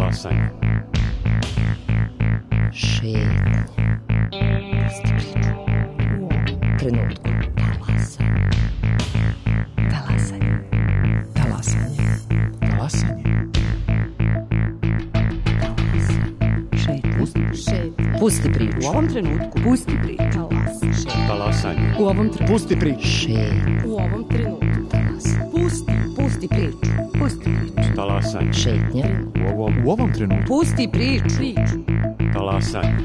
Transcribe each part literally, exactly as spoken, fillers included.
Talasanje. Šetnje. Pusti priču. U ovom trenutku. Talasanje. Talasanje. Talasanje. Talasanje. Šetnje. Šetnje. Pusti priču. U ovom trenutku. Pusti priču. Talasanje. U ovom trenutku. Pusti priču. Šetnje. U ovom trenutku. Talasanje. Pusti. Pusti priču. Pusti priču. Talasanje. Šetnje. U ovom, U ovom trenutku. Pusti priču. Priču. talasanje.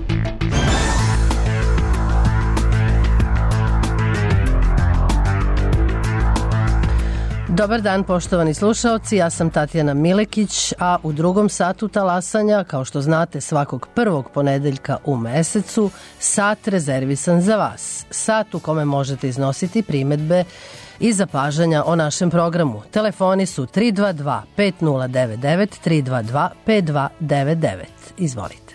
Dobar dan, poštovani slušaoci, ja sam Tatjana Milekić, a u drugom satu talasanja, kao što znate, svakog prvog ponedeljka u mesecu, sat rezervisan za vas. Sat u kome možete iznositi primedbe i zapažanja o našem programu. Telefoni su tri dva dva pet nula devet devet, tri dva dva pet dva devet devet. Izvolite.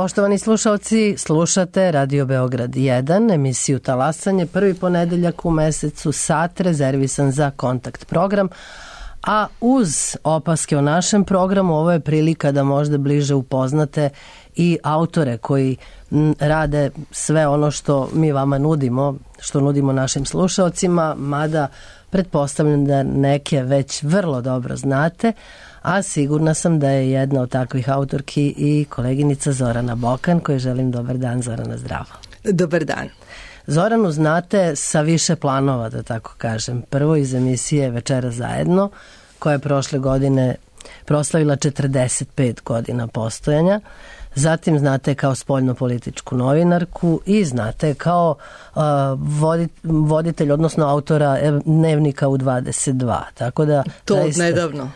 Poštovani slušalci, slušate Radio Beograd jedan, emisiju Talasanje, prvi ponedeljak u mesecu, sat rezervisan za kontakt program, a uz opaske o našem programu ovo je prilika da možda bliže upoznate i autore koji m, rade sve ono što mi vama nudimo, što nudimo našim slušalcima, mada pretpostavljam da neke već vrlo dobro znate, a sigurna sam da je jedna od takvih autorki i koleginica Zorana Bokan, kojoj želim dobar dan. Zorana, zdravo. Dobar dan. Zoranu znate sa više planova, da tako kažem. Prvo iz emisije Večera zajedno, koja je prošle godine proslavila četrdeset pet godina postojanja. Zatim znate kao spoljnopolitičku novinarku i znate kao uh, vodit, voditelj, odnosno autora Dnevnika u dvadeset dva. Tako da, to zaista, nedavno.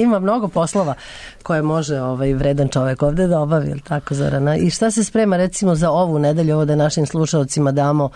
ima mnogo poslova koje može ovaj vredan čovek ovde da obavi, ili tako, Zorana? I šta se sprema recimo za ovu nedelju, ovo da našim slušalcima damo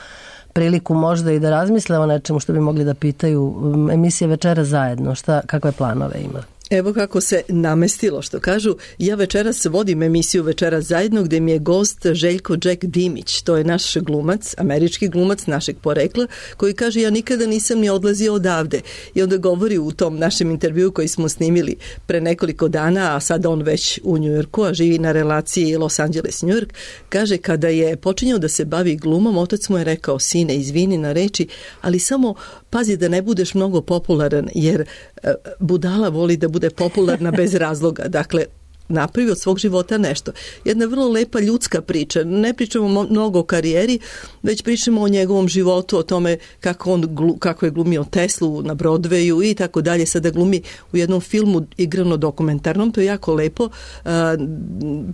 priliku možda i da razmisle o nečemu što bi mogli da pitaju. Emisija Večera zajedno, šta, kakve planove ima? Evo kako se namestilo, što kažu. Ja večeras vodim emisiju Večera zajedno, gde mi je gost Željko Jack Dimić. To je naš glumac, američki glumac našeg porekla, koji kaže ja nikada nisam ni odlazio odavde. I onda govori u tom našem intervjuu koji smo snimili pre nekoliko dana, a sada on već u Njujorku, a živi na relaciji Los Angeles-New York, kaže kada je počinjao da se bavi glumom, otac mu je rekao, sine, izvini na reči, ali samo pazi da ne budeš mnogo popularan, jer budala voli da bude popularna bez razloga. Dakle, napravi od svog života nešto. Jedna vrlo lepa ljudska priča. Ne pričamo mnogo o karijeri, već pričamo o njegovom životu, o tome kako, on, kako je glumio Teslu na Broadwayu i tako dalje. Sada glumi u jednom filmu igrano dokumentarnom, to je jako lepo.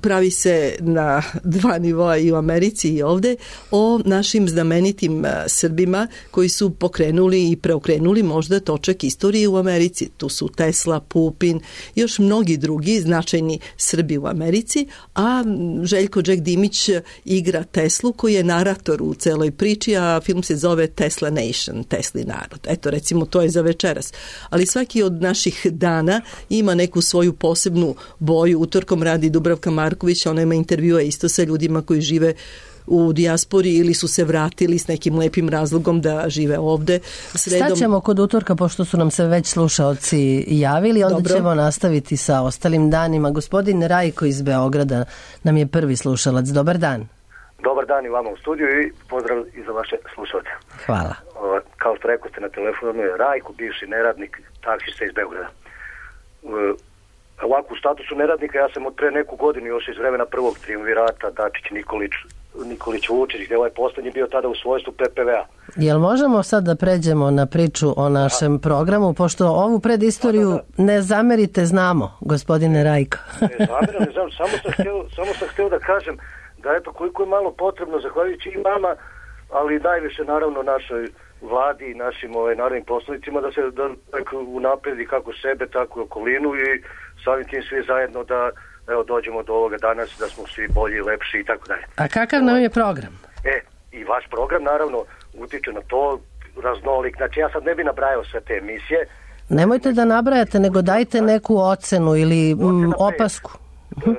Pravi se na dva nivoa i u Americi i ovde, o našim znamenitim Srbima koji su pokrenuli i preokrenuli možda točak istorije u Americi. Tu su Tesla, Pupin, još mnogi drugi značajni Srbi u Americi, a Željko Jack Dimić igra Teslu koji je narator u celoj priči, a film se zove Tesla Nation, Tesli narod. Eto, recimo, to je za večeras. Ali svaki od naših dana ima neku svoju posebnu boju. Utorkom radi Dubravka Marković, ona ima intervjua isto sa ljudima koji žive u dijaspori ili su se vratili s nekim lepim razlogom da žive ovde. Sredom... Staćemo kod utorka, pošto su nam se već slušaoci javili, onda Dobro. ćemo nastaviti sa ostalim danima. Gospodin Rajko iz Beograda nam je prvi slušalac. Dobar dan. Dobar dan i vama u studiju i pozdrav i za vaše slušalce. Hvala. O, kao što rekao ste na telefonu je Rajko, bivši neradnik, taksista iz Beograda. O, ovako, u statusu neradnika ja sam od pre neku godinu još iz vremena prvog triumvirata Dačić, Nikolić, Nikolić Vučić, gdje ovaj poslednji bio tada u svojstvu P P V-a. Jel možemo sad da pređemo na priču o našem a, programu, pošto ovu predistoriju da, da, da. ne zamerite, znamo, gospodine Rajko. Ne zameram, ne znam, samo sam htio, samo sam htio da kažem da eto koliko je malo potrebno, zahvaljujući i vama, ali najviše naravno našoj vladi i našim ovaj, narodnim poslanicima da se da, unapredi kako sebe, tako i okolinu i samim tim svi zajedno da evo dođemo do ovoga danas, da smo svi bolji, lepši i tako dalje. A kakav nam je program? E, i vaš program naravno utiče na to, raznolik. Znači ja sad ne bi nabrajao sve te emisije. Nemojte da nabrajate, nego dajte neku ocenu ili m, opasku. Pet.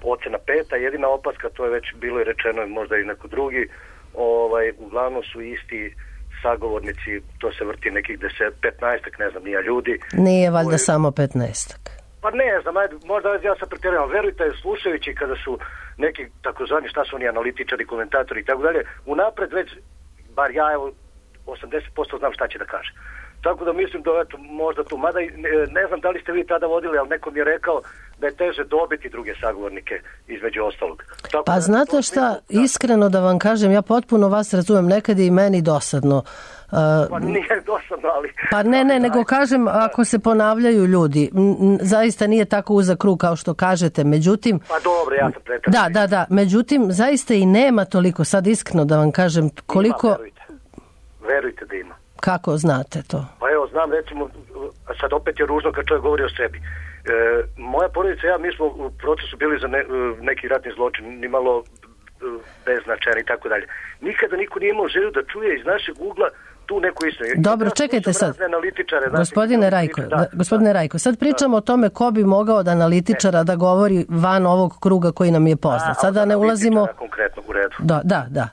Ocena peta, jedina opaska, to je već bilo i rečeno, možda i neko drugi, ovaj, uglavnom su isti sagovornici, to se vrti nekih deset, petnaestak, ne znam, nija ljudi. Nije valjda koji... samo petnaestak. Pa ne znam, možda ja sam pretjerao. Verujte, slušajući kada su neki takozvani, šta su oni, analitičari, komentatori i tako dalje, unapred već, bar ja evo, osamdeset posto znam šta će da kaže. Tako da mislim da eto, možda tu, mada ne, ne znam da li ste vi tada vodili, ali neko mi je rekao da je teže dobiti druge sagovornike između ostalog. Tako pa da, znate šta, mislim, iskreno da vam kažem, ja potpuno vas razumem, nekad je i meni dosadno. Uh, pa nije dosadno, ali... Pa ne, ne, nego kažem, ako se ponavljaju ljudi, m, zaista nije tako uzak krug kao što kažete, međutim... Pa dobro, ja sam pretjerao. Da, da, da, međutim, zaista i nema toliko, sad iskreno da vam kažem, koliko... Ima, verujte. Verujte da ima. Kako znate to? Pa evo, znam, recimo, sad opet je ružno kad čovjek govori o sebi. E, moja porodica i ja, mi smo u procesu bili za ne, neki ratni zločin, nimalo beznačajan i tako dalje. Nikada niko nije imao želju da čuje iz našeg ugla tu neku istinu. Dobro, čekajte sad. Gospodine Rajko, da, gospodine Rajko, sad pričamo da. o tome ko bi mogao od analitičara ne. da govori van ovog kruga koji nam je poznat. Sada ne ulazimo... Konkretno, u redu. Da, da, da.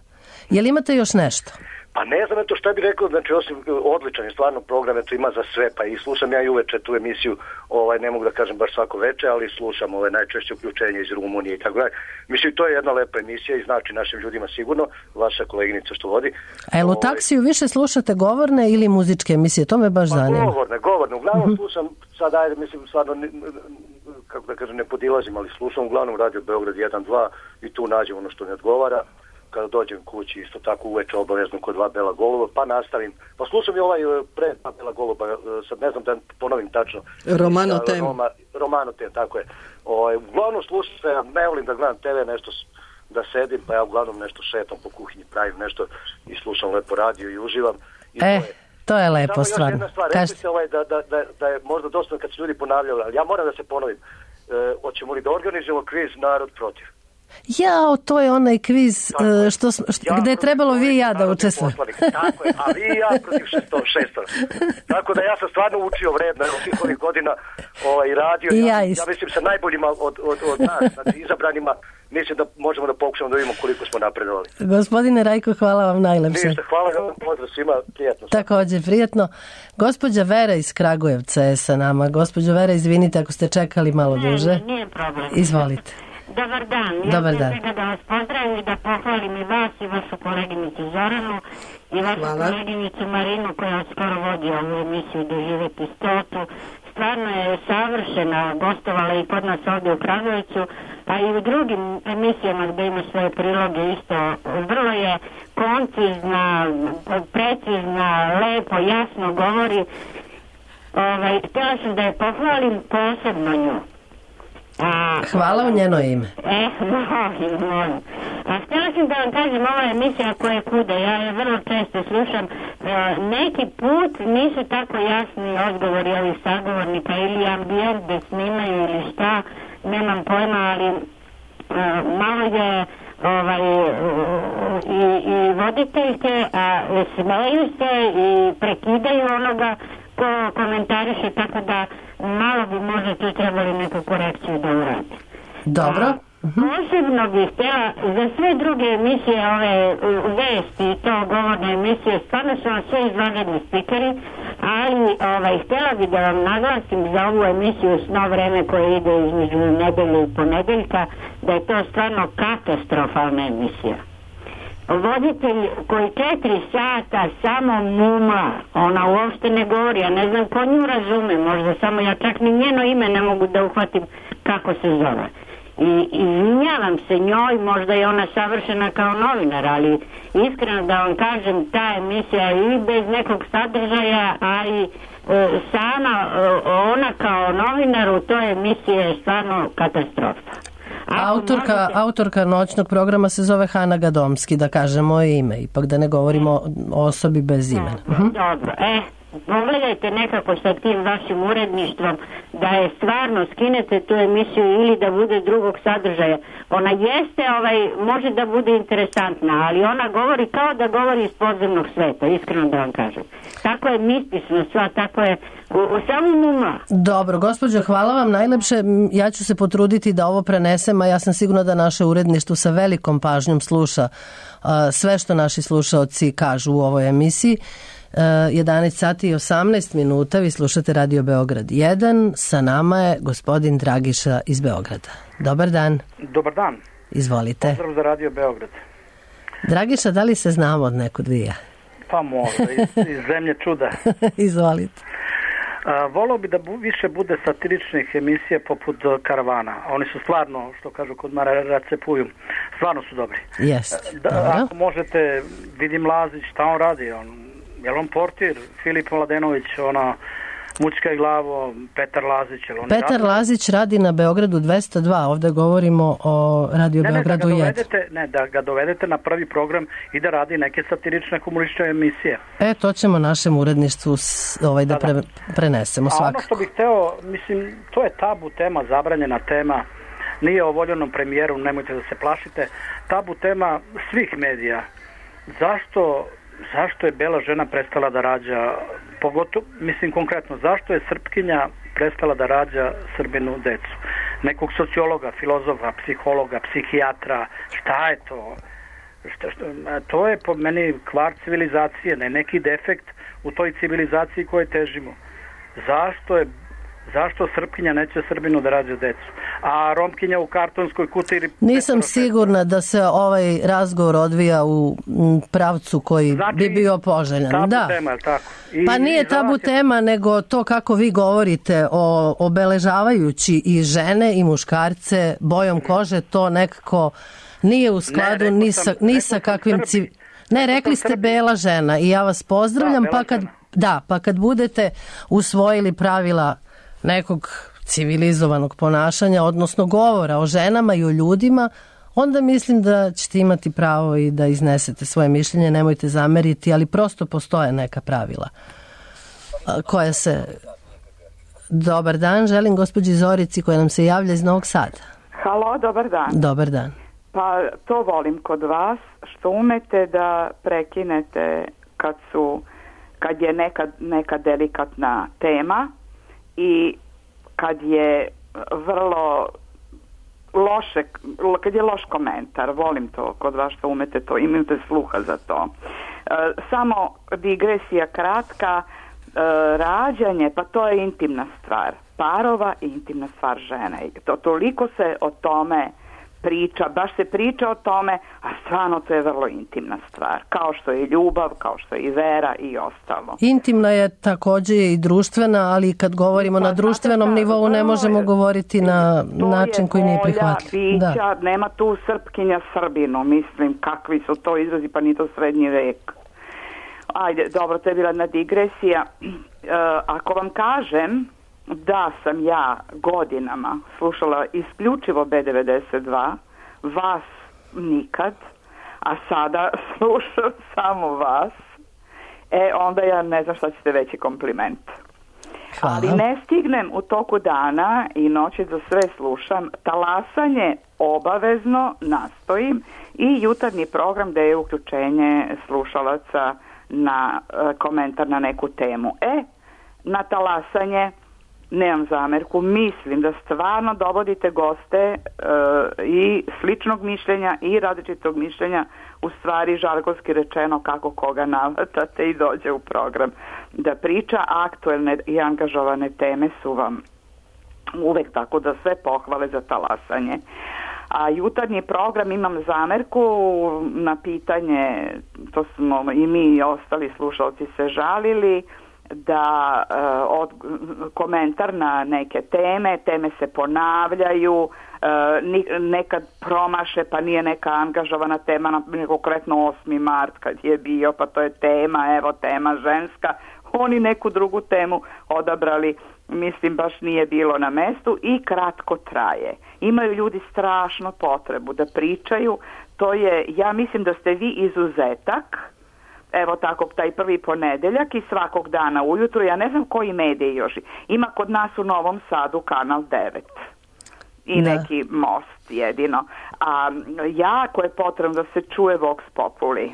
Jel imate još nešto? Pa ne znam eto šta bi rekao, znači osim odličan je stvarno program, eto ima za sve, pa i slušam ja i uveče tu emisiju, ovaj, ne mogu da kažem baš svako veče, ali slušam ovaj, najčešće uključenje iz Rumunije i tako dalje. Mislim, to je jedna lepa emisija i znači našim ljudima sigurno, vaša koleginica što vodi. A jel u taksiju više slušate govorne ili muzičke emisije? To me baš pa, zanima. Govorne, govorne, uglavnom uh-huh. slušam, sad ajde, mislim, stvarno, kako da kažem, ne podilazim, ali slušam uglavnom Radio Beograd jedan dva i tu nađem ono što mi odgovara. kada dođem kući, isto tako uveče obavezno kod dva bela goluba, pa nastavim. Pa slušam i ovaj pre dva bela goluba, sad ne znam da ponovim tačno. Romano Tem. Roma, Romano Tem, tako je. O, uglavnom slušam se, ja ne volim da gledam te ve, nešto da sedim, pa ja uglavnom nešto šetam po kuhinji, pravim nešto i slušam lepo radio i uživam. I e, to je, to je lepo, samo stvarno. Samo još jedna stvar, rekli ste ovaj, da, da, da, da je možda dosta kad su ljudi ponavljali, ali ja moram da se ponovim. E, hoćemo li da organizujemo kviz Narod protiv? Jao, to je onaj kviz uh, što, što, ja gde je trebalo vi i ja da učestvujemo. Tako je, a vi i ja protiv šestora. Tako da ja sam stvarno učio vredno u svih ovih godina ovaj, radio. I ja, ja, ja mislim sa najboljima od, od, od nas, znači izabranima, mislim da možemo da pokušamo da vidimo koliko smo napredovali. Gospodine Rajko, hvala vam najlepše. Ništa, hvala vam, pozdrav svima, prijatno. Takođe, prijatno. Gospođa Vera iz Kragujevca je sa nama. Gospođo Vera, izvinite ako ste čekali malo duže. Ne, nije problem. Izvolite. Dobar dan. Ja Dobar dan. svega da vas pozdravim i da pohvalim i vas i vašu koleginicu Zoranu i vašu Hvala. koleginicu Marinu koja skoro vodi ovu emisiju Doživjeti stotu. Stvarno je savršena, gostovala i kod nas ovdje u Kragujevcu, a i u drugim emisijama gdje ima svoje priloge isto. Vrlo je koncizna, precizna, lepo, jasno govori. Ovaj, htjela sam da je pohvalim posebno nju. A, Hvala u njeno ime. E, molim, molim. A htjela sam da vam kažem, ova emisija koja kuda, ja je vrlo često slušam, e, neki put nisu tako jasni odgovori ovih sagovornika ili ambijent da snimaju ili šta, nemam pojma, ali e, malo je ovaj, i, i voditeljke, a smeju se i prekidaju onoga ko komentariše, tako da malo bi možda tu trebali neku korekciju da uradi. Dobro. A, posebno bih htjela za sve druge emisije, ove vesti i to govorne emisije, stvarno su vam sve izvanredni spikeri, ali ovaj, htjela bih da vam naglasim za ovu emisiju Sno vreme koje ide između nedelje i ponedeljka, da je to stvarno katastrofalna emisija. Voditelj koji četiri sata samo mumla, ona uopšte ne govori, ja ne znam ko nju razume, možda samo ja čak ni njeno ime ne mogu da uhvatim kako se zove. I izvinjavam se njoj, možda je ona savršena kao novinar, ali iskreno da vam kažem, ta emisija i bez nekog sadržaja, a i e, sama e, ona kao novinar u toj emisiji je stvarno katastrofa. Autorka, možete... autorka noćnog programa se zove Hana Gadomski, da kažemo ime, ipak da ne govorimo o osobi bez imena. Dobro, dobro. E, pogledajte nekako sa tim vašim uredništvom da je stvarno skinete tu emisiju ili da bude drugog sadržaja. Ona jeste, ovaj, može da bude interesantna, ali ona govori kao da govori iz podzemnog sveta, iskreno da vam kažem. Tako je mistično sva, tako je u, u samom uma. Dobro, gospođo, hvala vam najlepše. Ja ću se potruditi da ovo prenesem, a ja sam sigurna da naše uredništvo sa velikom pažnjom sluša uh, sve što naši slušaoci kažu u ovoj emisiji. Uh, jedanaest sati i osamnaest minuta, vi slušate Radio Beograd jedan, sa nama je gospodin Dragiša iz Beograda. Dobar dan. Dobar dan. Izvolite. Pozdrav za Radio Beograd. Dragiša, da li se znamo od nekud vija? Pa možda, iz, iz zemlje čuda. Izvolite. A, volao bi da bu, više bude satiričnih emisija poput Karavana. Oni su stvarno, što kažu kod Mara Racepuju, stvarno su dobri. Jeste, da, dobro. Ako možete, vidim Lazić, šta on radi? On, je li on portir? Filip Mladenović, ona Mućka i glavo, Petar Lazić. Petar radi? Lazić radi na Beogradu dvesta dva, ovde govorimo o Radio ne, Beogradu ne, da jedan. Ne, da ga dovedete na prvi program i da radi neke satirične humoristične emisije. E, to ćemo našem uredništvu ovaj, da, da pre, prenesemo svakako. A ono što bih hteo, mislim, to je tabu tema, zabranjena tema, nije o voljenom premijeru, nemojte da se plašite, tabu tema svih medija. Zašto... Zašto je bela žena prestala da rađa, pogotovo, mislim konkretno, zašto je Srpkinja prestala da rađa Srbinu decu? Nekog sociologa, filozofa, psihologa, psihijatra, šta je to? Šta, šta, to je po meni kvar civilizacije, ne neki defekt u toj civilizaciji koje težimo. Zašto je Zašto Srpkinja neće Srbinu da rađa decu? A Romkinja u kartonskoj kuti ili... Nisam sigurna da se ovaj razgovor odvija u pravcu koji znači, bi bio poželjan. Tabu da. tema, je tako? I, pa nije i tabu će... tema, nego to kako vi govorite o obeležavajući i žene i muškarce bojom kože, to nekako nije u skladu ne, ni sa, ni sa kakvim... Civ... Ne, rekli ste bela žena i ja vas pozdravljam, da, pa kad, da, pa kad budete usvojili pravila nekog civilizovanog ponašanja, odnosno govora o ženama i o ljudima, onda mislim da ćete imati pravo i da iznesete svoje mišljenje, nemojte zameriti, ali prosto postoje neka pravila koja se... Dobar dan, želim gospođi Zorici koja nam se javlja iz Novog Sada. Halo, dobar dan. Dobar dan. Pa to volim kod vas, što umete da prekinete kad su, kad je neka, neka delikatna tema i kad je vrlo loše, kad je loš komentar, volim to kod vas što umete to, imate sluha za to. E, samo digresija kratka, e, rađanje, pa to je intimna stvar parova i intimna stvar žene. To, toliko se o tome priča, baš se priča o tome, a stvarno to je vrlo intimna stvar. Kao što je ljubav, kao što je i vera i ostalo. Intimna je također i društvena, ali kad govorimo pa, na društvenom znate, nivou ne možemo je, govoriti na način koji nije prihvatljiv. Bića, da. Nema tu Srpkinja Srbinu, mislim, kakvi su to izrazi, pa ni to srednji vek. Ajde, dobro, to je bila jedna digresija. E, ako vam kažem da sam ja godinama slušala isključivo B devedeset dva, vas nikad, a sada slušam samo vas, e onda ja ne znam šta ćete veći kompliment. Hvala. Ali ne stignem u toku dana i noći da sve slušam, talasanje obavezno nastojim i jutarnji program gde je uključenje slušalaca na e, komentar na neku temu. E, na talasanje nemam zamerku, mislim da stvarno dovodite goste e, i sličnog mišljenja i različitog mišljenja, u stvari žargonski rečeno kako koga navatate i dođe u program da priča. Aktuelne i angažovane teme su vam uvek, tako da sve pohvale za talasanje. A jutarnji program imam zamerku na pitanje, to smo i mi i ostali slušalci se žalili, da uh, od, komentar na neke teme, teme se ponavljaju, uh, nekad promaše pa nije neka angažovana tema, na konkretno osmi mart kad je bio, pa to je tema, evo tema ženska, oni neku drugu temu odabrali, mislim baš nije bilo na mestu i kratko traje. Imaju ljudi strašno potrebu da pričaju, to je, ja mislim da ste vi izuzetak. Evo tako, taj prvi ponedeljak i svakog dana ujutru, ja ne znam koji mediji još. Ima kod nas u Novom Sadu kanal devet i da. Neki most jedino. A jako je potrebno da se čuje Vox Populi.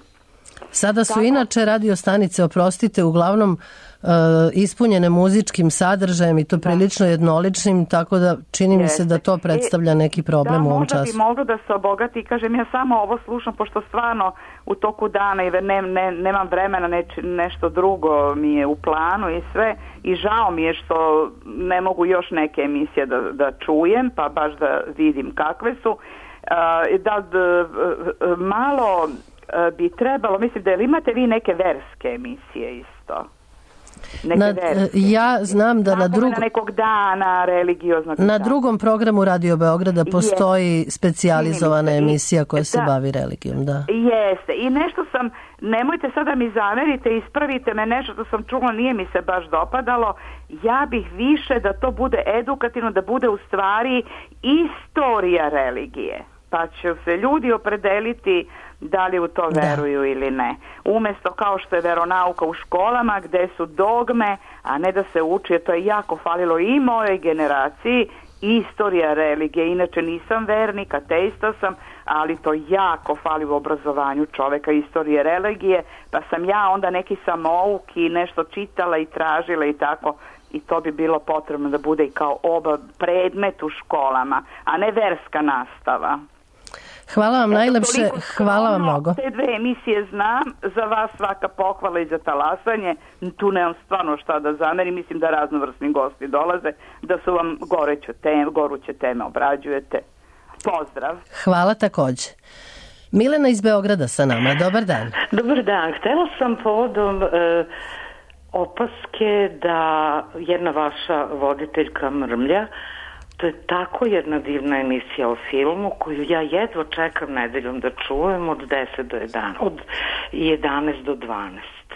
Sada su tako, inače radio stanice, oprostite, uglavnom uh, ispunjene muzičkim sadržajem i to prilično da. jednoličnim, tako da čini Jeste. mi se da to predstavlja neki problem da, u ovom času. Da, možda bi moglo da se obogati, kažem, ja samo ovo slušam, pošto stvarno u toku dana i ne, ne, nemam vremena, neč, nešto drugo mi je u planu i sve, i žao mi je što ne mogu još neke emisije da, da čujem, pa baš da vidim kakve su. Uh, da, da malo bi trebalo, mislim da li imate vi neke verske emisije isto? Neke na, verske. Ja znam da na, drug... na nekog dana religioznog na dana. drugom programu Radio Beograda postoji je. specijalizovana emisija koja se da. bavi religijom. Da. Jeste. I nešto sam, nemojte sada mi zamerite, ispravite me, nešto što sam čula nije mi se baš dopadalo. Ja bih više da to bude edukativno, da bude u stvari istorija religije. Pa će se ljudi opredeliti da li u to veruju da. ili ne. Umjesto kao što je veronauka u školama gdje su dogme, a ne da se uči, to je jako falilo i mojoj generaciji, istorija religije. Inače nisam vernik, ateista sam, ali to jako fali u obrazovanju čoveka, istorije religije, pa sam ja onda neki samouk i nešto čitala i tražila i tako, i to bi bilo potrebno da bude i kao oba predmet u školama, a ne verska nastava. Hvala vam najlepše, Toliko hvala vam skromno, mnogo. Te dve emisije znam, za vas svaka pohvala i za talasanje, tu nemam stvarno šta da zamerim, mislim da raznovrsni gosti dolaze, da su vam goreće teme, goruće teme obrađujete. Pozdrav. Hvala takođe. Milena iz Beograda sa nama, dobar dan. Dobar dan, htela sam povodom e, opaske da jedna vaša voditeljka mrmlja. To je tako jedna divna emisija o filmu koju ja jedva čekam nedeljom da čujem od deset do jedanaest, od jedanaest do dvanaest.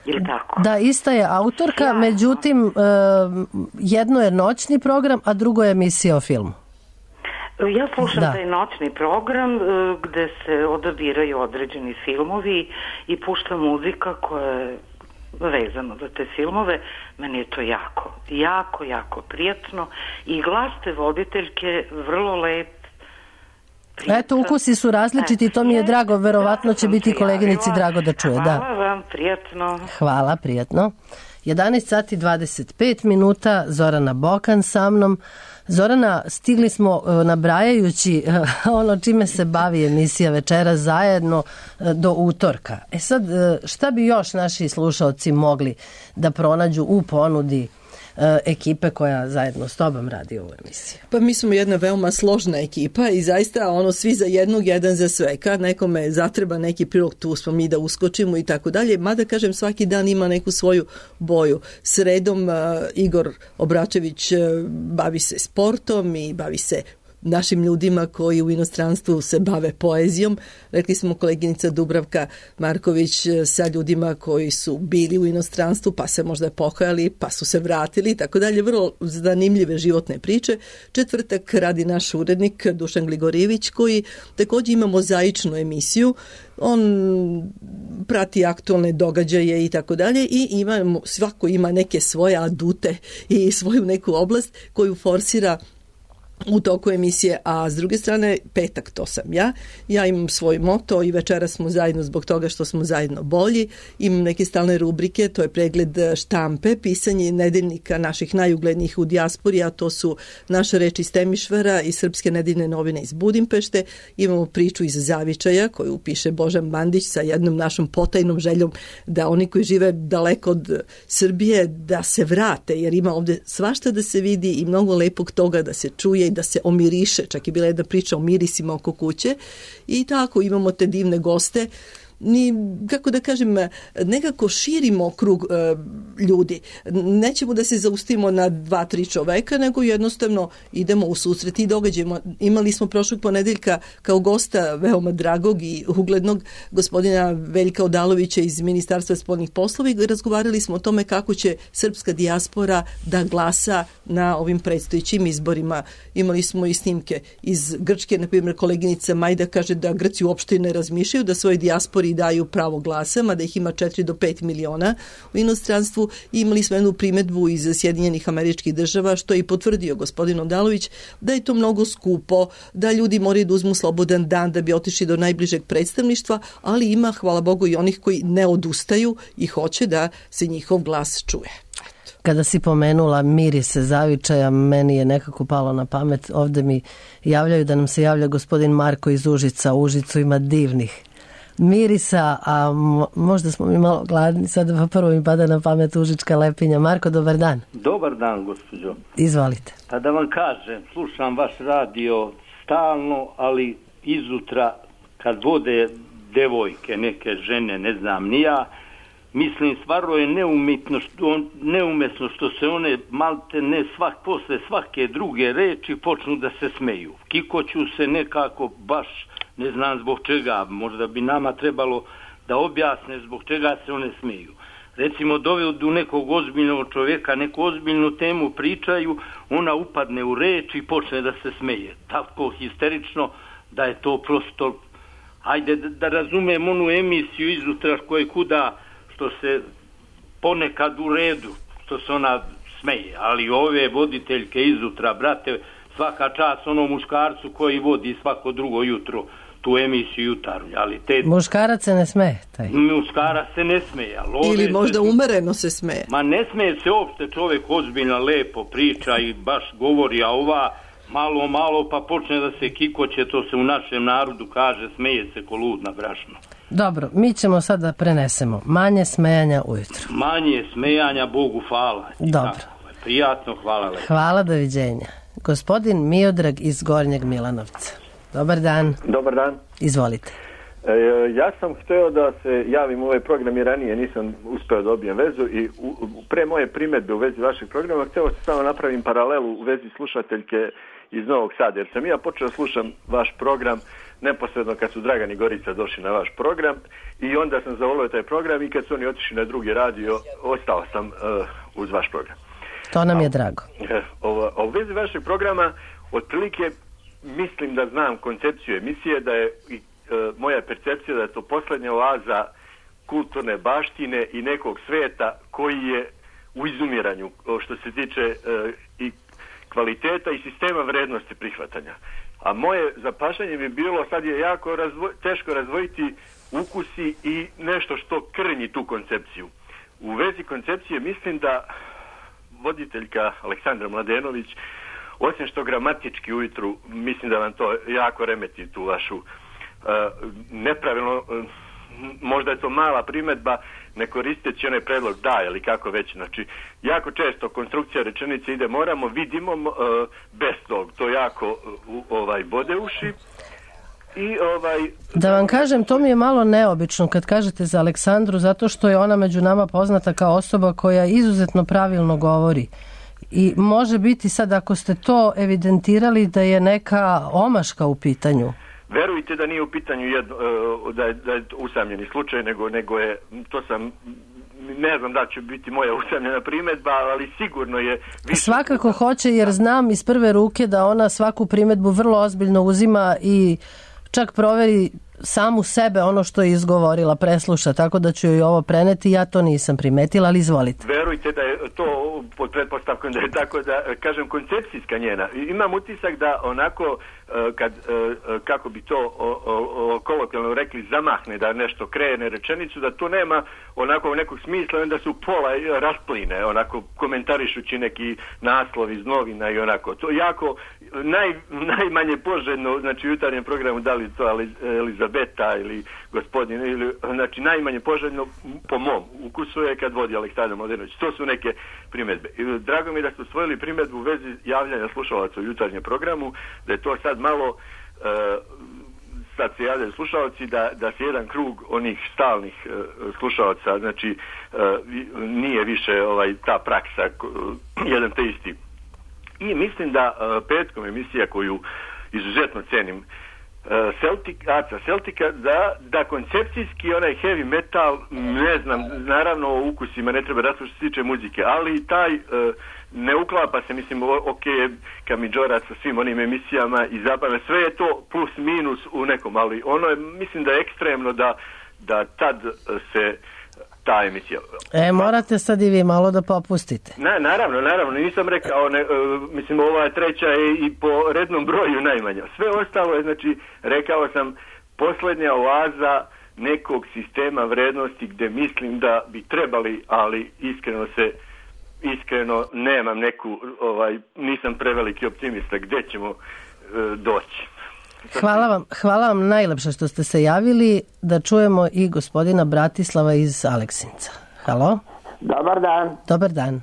Ili tako? Da, ista je autorka, ja. Međutim, e, jedno je noćni program, a drugo je emisija o filmu. Ja slušam da. taj noćni program gde se odabiraju određeni filmovi i pušta muzika koja je vezano za te filmove. Meni je to jako, jako, jako prijatno i glas te voditeljke vrlo lep. Prijatan. Eto, ukusi su različiti, to mi je drago, verovatno će biti koleginici drago da čuje. Hvala da. vam, prijatno. Hvala, prijatno. jedanaest sati dvadeset pet minuta, Zorana Bokan sa mnom. Zorana, stigli smo nabrajajući ono čime se bavi emisija Večera zajedno do utorka. E sad, šta bi još naši slušaoci mogli da pronađu u ponudi ekipe koja zajedno s tobom radi ovu emisiju? Pa mi smo jedna veoma složna ekipa i zaista ono svi za jednog, jedan za sve. Kad nekome zatreba neki prilog, tu smo mi da uskočimo i tako dalje. Mada kažem, svaki dan ima neku svoju boju. Sredom uh, Igor Obračević uh, bavi se sportom i bavi se našim ljudima koji u inostranstvu se bave poezijom. Rekli smo koleginica Dubravka Marković sa ljudima koji su bili u inostranstvu pa se možda pokajali pa su se vratili i tako dalje. Vrlo zanimljive životne priče. Četvrtak radi naš urednik Dušan Gligorijević koji također ima mozaičnu emisiju. On prati aktualne događaje i tako dalje i ima, svako ima neke svoje adute i svoju neku oblast koju forsira u toku emisije, a s druge strane petak to sam ja. Ja imam svoj moto i večeras smo zajedno zbog toga što smo zajedno bolji. Imam neke stalne rubrike, to je pregled štampe, pisanje nedeljnika naših najuglednijih u dijaspori, a to su Naša reč iz Temišvara i Srpske nedeljne novine iz Budimpešte. Imamo priču iz Zavičaja koju piše Božan Bandić sa jednom našom potajnom željom da oni koji žive daleko od Srbije da se vrate, jer ima ovde svašta da se vidi i mnogo lepog toga da se čuje, da se omiriše, čak je bila jedna priča o mirisima oko kuće i tako imamo te divne goste. Ni, kako da kažem, nekako širimo krug e, ljudi. Nećemo da se zaustimo na dva, tri čoveka, nego jednostavno idemo u susret i događajmo. Imali smo prošlog ponedeljka kao gosta veoma dragog i uglednog gospodina Veljka Odalovića iz Ministarstva spoljnih poslova i razgovarali smo o tome kako će srpska dijaspora da glasa na ovim predstojećim izborima. Imali smo i snimke iz Grčke, na primjer koleginica Majda kaže da Grci uopšte ne razmišljaju da svoj dijaspori daju pravo glasa, mada ih ima četiri do pet miliona u inostranstvu. I imali smo jednu primetbu iz Sjedinjenih Američkih Država, što je i potvrdio gospodin Odalović, da je to mnogo skupo, da ljudi moraju da uzmu slobodan dan da bi otišli do najbližeg predstavništva, ali ima, hvala Bogu, i onih koji ne odustaju i hoće da se njihov glas čuje. Kada si pomenula mirise Zavičaja, meni je nekako palo na pamet, ovde mi javljaju da nam se javlja gospodin Marko iz Užica. U Užicu ima divnih mirisa, a možda smo mi malo gladni, sada pa prvo mi pada na pamet užička lepinja. Marko, dobar dan. Dobar dan, gospođo. Izvolite. Pa da vam kažem, slušam vaš radio stalno, ali izutra kad vode devojke, neke žene, ne znam ni ja, mislim, stvarno je neumitno što, neumesno što se one malte ne svak, posle svake druge reči počnu da se smeju. Kikoću se nekako baš, ne znam zbog čega, možda bi nama trebalo da objasne zbog čega se one smeju. Recimo, dovedu nekog ozbiljnog čovjeka, neku ozbiljnu temu pričaju, ona upadne u reč i počne da se smeje. Tako histerično da je to prosto, hajde da, da razumem onu emisiju izutra koje kuda, što se ponekad u redu, što se ona smeje, ali ove voditeljke izutra, brate, svaka čast onom muškarcu koji vodi svako drugo jutro tu emisiju jutarnju, ali te... Muškarac se ne smeje, taj. Muškarac se ne smeje, ali ove... Ili možda se... umereno se smeje. Ma ne smeje se uopšte, čovjek ozbiljno lepo priča i baš govori, a ova malo, malo pa počne da se kikoće, to se u našem narodu kaže, smeje se ko lud na brašno. Dobro, mi ćemo sad da prenesemo. Manje smejanja ujutru. Manje smejanja, Bogu hvala. Dobro. Tako, prijatno, hvala lepo. Hvala, doviđenja. Gospodin Miodrag iz Gornjeg Milanovca. Dobar dan. Dobar dan. Izvolite. E, ja sam htio da se javim u ovaj program i ranije nisam uspeo da dobijem vezu i u, u, pre moje primjedbe u vezi vašeg programa htio sam samo napravim paralelu u vezi slušateljke iz Novog Sada, jer sam ja počeo slušam vaš program neposredno kad su Dragan i Gorica došli na vaš program i onda sam zavolio taj program i kad su oni otišli na drugi radio, ostao sam uh, uz vaš program. To nam je drago. O, o vezi vašeg programa, otprilike mislim da znam koncepciju emisije, da je i e, moja percepcija da je to posljednja oaza kulturne baštine i nekog sveta koji je u izumiranju što se tiče e, i kvaliteta i sistema vrednosti prihvatanja. A moje zapašanje bi bilo, sad je jako razvoj, teško razvojiti ukusi i nešto što krnji tu koncepciju. U vezi koncepcije mislim da voditeljka Aleksandra Mladenović, osim što gramatički ujutru, mislim da vam to jako remeti tu vašu uh, nepravilno, uh, možda je to mala primjedba, ne koristeći onaj predlog da ili kako već. Znači, jako često konstrukcija rečenice ide moramo, vidimo uh, bez tog, to jako uh, ovaj bode uši. I ovaj... Da vam kažem, to mi je malo neobično kad kažete za Aleksandru, zato što je ona među nama poznata kao osoba koja izuzetno pravilno govori. I može biti sad, ako ste to evidentirali, da je neka omaška u pitanju. Verujte da nije u pitanju jedno, da je, da je usamljeni slučaj, nego, nego je, to sam, ne znam da će biti moja usamljena primjedba, ali sigurno je... Više... Svakako hoće, jer znam iz prve ruke da ona svaku primjedbu vrlo ozbiljno uzima i čak proveri samu sebe ono što je izgovorila, presluša, tako da ću joj ovo preneti, ja to nisam primetila, ali izvolite. Verujte da je to pod pretpostavkom da je tako da, kažem, koncepcijska njena. Imam utisak da onako, kad, kako bi to kolokvijalno rekli, zamahne, da nešto krene rečenicu, da to nema onako nekog smisla, onda se u pola raspline, onako komentarišući neki naslov iz novina i onako. To jako, naj, najmanje poželjno, znači u jutarnjem programu, da li to Elizabeta ili gospodin, ili, znači najmanje poželjno po mom ukusu je kad vodi Aleksandar Mladenović. To su neke primjedbe. I drago mi je da ste osvojili primjedbu u vezi javljanja slušalaca u jutarnjem programu, da je to sad malo, uh, sad se javljaju slušalci, da, da se jedan krug onih stalnih uh, slušalaca, znači uh, nije više ovaj ta praksa uh, jedan te isti. I mislim da uh, petkom emisija koju izuzetno cenim, Celtic, Aca Celtica, da, da koncepcijski onaj heavy metal, ne znam, naravno o ukusima ne treba raslušati što se tiče muzike, ali taj uh, ne uklapa se, mislim, ok, Kamidžora sa svim onim emisijama i zabavno, sve je to plus minus u nekom, ali ono je, mislim da je ekstremno da, da tad se ta emisija. E, morate sad i vi malo da popustite. Na, naravno, naravno, nisam rekao, ne, uh, mislim, ova treća je i po rednom broju najmanja. Sve ostalo je, znači, rekao sam, posljednja oaza nekog sistema vrednosti gde mislim da bi trebali, ali iskreno se, iskreno nemam neku, ovaj, nisam preveliki optimista gde ćemo uh, doći. Hvala vam, hvala vam najlepše što ste se javili, da čujemo i gospodina Bratislava iz Aleksinca. Halo? Dobar dan. Dobar dan.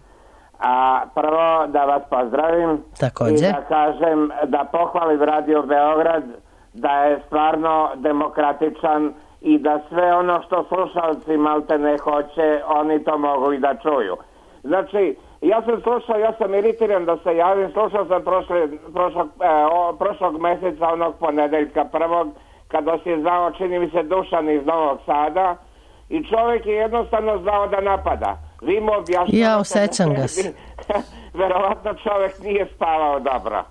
A prvo da vas pozdravim. Također. I da kažem, da pohvalim Radio Beograd, da je stvarno demokratičan i da sve ono što slušalci malte ne hoće, oni to mogu i da čuju. Znači, ja sam slušao, ja sam iritiran da se javim, slušao sam prošle, prošlog, e, o, prošlog mjeseca, onog ponedeljka prvog, kada si znao, čini mi se, Dušan iz Novog Sada, i čovjek je jednostavno znao da napada. Vi mu objašnjavate... Ja osjećam ga se. Verovatno čovjek nije spavao dobro.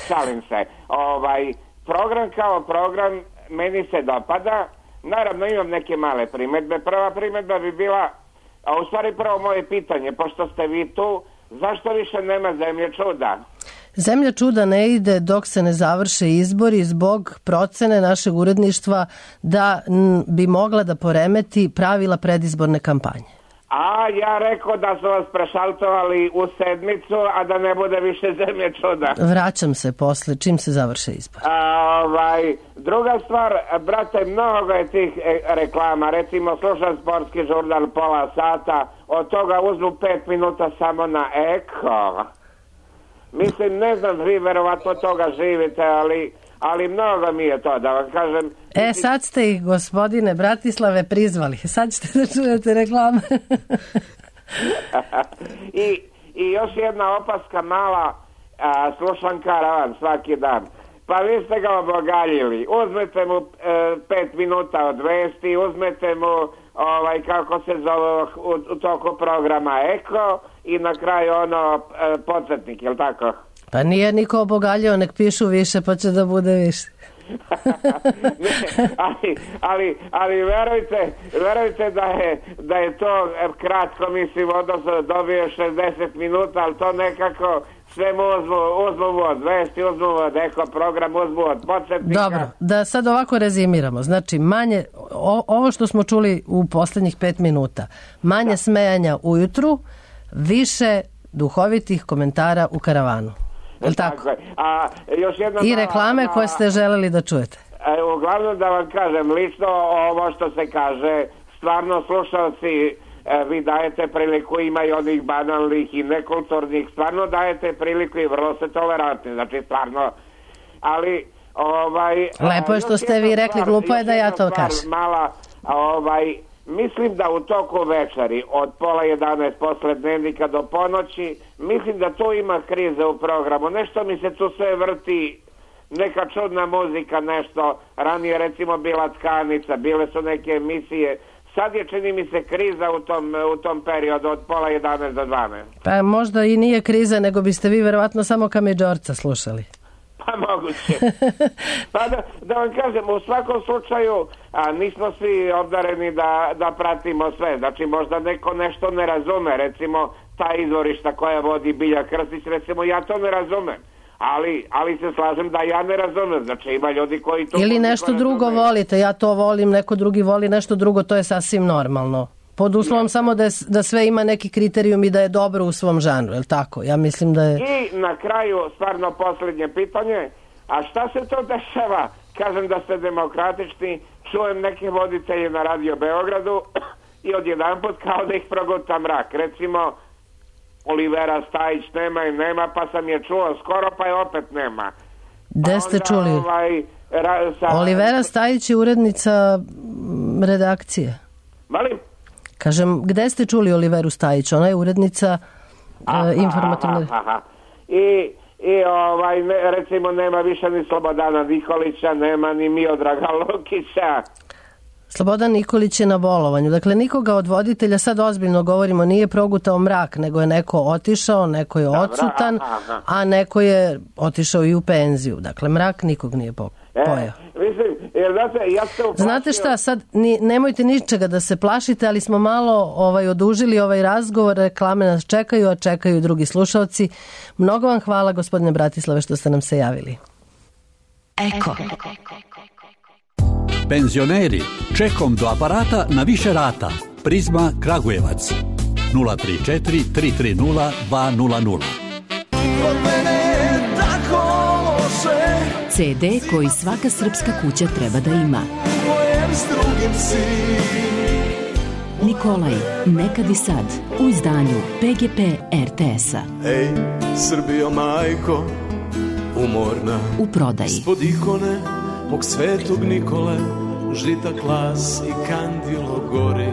Šalim se. Ovaj, program kao program meni se dopada. Naravno imam neke male primjedbe. Prva primjedba bi bila, a u stvari prvo moje pitanje, pošto ste vi tu, zašto više nema Zemlje čuda? Zemlja čuda ne ide dok se ne završe izbori zbog procene našeg uredništva da bi mogla da poremeti pravila predizborne kampanje. A ja rekao da su vas prešaltovali u sedmicu, a da ne bude više zemlje čuda. Vraćam se posle, čim se završe izbor. A, ovaj, druga stvar, brate, mnogo je tih e, reklama. Recimo, slušam sportski žurnal pola sata, od toga uzmu pet minuta samo na eko. Mislim, ne znam, vi verovatno toga živite, ali, ali mnogo mi je to, da vam kažem. E, sad ste ih, gospodine Bratislave, prizvali. Sad ćete da čujete reklame. I, I još jedna opaska mala, a, slušam Karavan svaki dan. Pa vi ste ga obogaljili. Uzmete mu e, pet minuta od vesti, uzmete mu, ovaj, kako se zove, u, u toku programa Eko i na kraju ono, e, podsjetnik, jel tako? Pa nije niko obogaljio, nek pišu više pa će da bude više. ne, ali, ali, ali verujte, verujte da je, da je to kratko, mislim, odnosno dobio šezdeset minuta, ali to nekako sve mu uzmu, uzmu od vesti, uzmu od Eko program, uzmu od podsjetnika. Dobro, da sad ovako rezimiramo. Znači, manje, o, ovo što smo čuli u poslednjih pet minuta, manje da. smejanja ujutru, više duhovitih komentara u Karavanu. Jel tako? Tako je. A, još jedna I mala, reklame mala, koje ste želeli da čujete. E, uglavnom da vam kažem, lično ovo što se kaže, stvarno slušalci, e, vi dajete priliku, ima i onih banalnih i nekulturnih, stvarno dajete priliku i vrlo ste tolerantni, znači stvarno, ali ovaj... Lepo je što ste vi rekli, stvar, glupo je da ja to kažem. Mala, ovaj... Mislim da u toku večeri od pola jedanaest posle dnevnika do ponoći, mislim da tu ima krize u programu. Nešto mi se tu sve vrti, neka čudna muzika, nešto. Ranije recimo bila Tkanica, bile su neke emisije. Sad je, čini mi se, kriza u tom, u tom periodu od pola jedanaest do dvanaest. Pa možda i nije kriza, nego biste vi verovatno samo Kamidžorca slušali. Pa moguće. Pa da, da vam kažem, u svakom slučaju a, nismo svi obdareni da, da pratimo sve. Znači možda neko nešto ne razume, recimo ta izvorišta koja vodi Bilja Krstić, recimo ja to ne razumem. Ali, ali se slažem da ja ne razumem. Znači ima ljudi koji to... Ili nešto drugo volite, ja to volim, neko drugi voli nešto drugo, to je sasvim normalno. Pod uslovom samo da, je, da sve ima neki kriterijum i da je dobro u svom žanru, je li tako? Ja mislim da je... I na kraju, stvarno posljednje pitanje, a šta se to dešava? Kažem da ste demokratični, čujem neke voditelje na Radio Beogradu i odjedanput kao da ih proguta mrak. Recimo, Olivera Stajić nema i nema, pa sam je čuo skoro, pa je opet nema. Gde ste čuli? Ovaj, ra, sa... Olivera Stajić je urednica redakcije. Malim? Kažem, gde ste čuli Oliveru Stajić? Ona je urednica aha, uh, informativne... Aha, aha. I, i ovaj, ne, recimo nema više ni Slobodana Nikolića, nema ni Miodraga Lukića. Slobodan Nikolić je na bolovanju. Dakle, nikoga od voditelja, sad ozbiljno govorimo, nije progutao mrak, nego je neko otišao, neko je odsutan, a neko je otišao i u penziju. Dakle, mrak nikog nije po, pojao. E, mislim, jer znate, ja se uplašio... Znate šta, sad ni, nemojte ničega da se plašite, ali smo malo ovaj, odužili ovaj razgovor, reklame nas čekaju, a čekaju drugi slušalci. Mnogo vam hvala, gospodine Bratislave, što ste nam se javili. Eko. Penzioneri, čekom do aparata na više rata. Prizma Kragujevac. nula tri četiri tri tri nula dva nula nula. ce de koji svaka srpska kuća treba da ima. Nikolaj, nekad i sad, u izdanju pe ge pe er te es-a. Ej, Srbijo majko, umorna. U prodaji. Ispod ikone mog svetog Nikole, žita klas i kandilo gori.